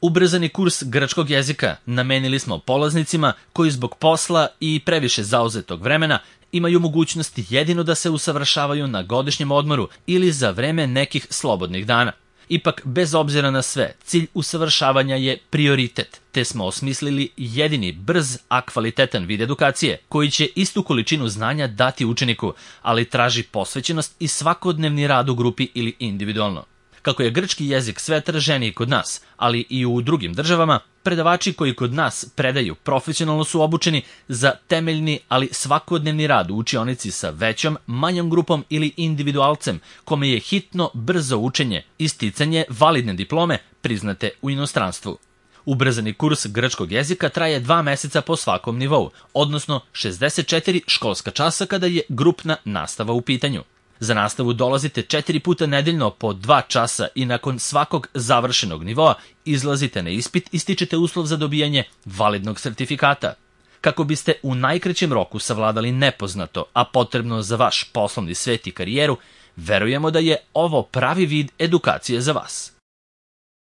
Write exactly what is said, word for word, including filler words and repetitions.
Ubrzani kurs grčkog jezika namenili smo polaznicima koji zbog posla i previše zauzetog vremena imaju mogućnost jedino da se usavršavaju na godišnjem odmoru ili za vreme nekih slobodnih dana. Ipak, bez obzira na sve, cilj usavršavanja je prioritet, te smo osmislili jedini brz, a kvalitetan vid edukacije, koji će istu količinu znanja dati učeniku, ali traži posvećenost i svakodnevni rad u grupi ili individualno. Kako je grčki jezik sve traženiji kod nas, ali i u drugim državama, predavači koji kod nas predaju profesionalno su obučeni za temeljni, ali svakodnevni rad u učionici sa većom, manjom grupom ili individualcem, kome je hitno brzo učenje i sticanje validne diplome priznate u inostranstvu. Ubrzani kurs grčkog jezika traje dva meseca po svakom nivou, odnosno šezdeset četiri školska časa kada je grupna nastava u pitanju. Za nastavu dolazite četiri puta nedeljno po dva časa i nakon svakog završenog nivoa izlazite na ispit i stičete uslov za dobijanje validnog sertifikata. Kako biste u najkraćem roku savladali nepoznato, a potrebno za vaš poslovni svet i karijeru, verujemo da je ovo pravi vid edukacije za vas.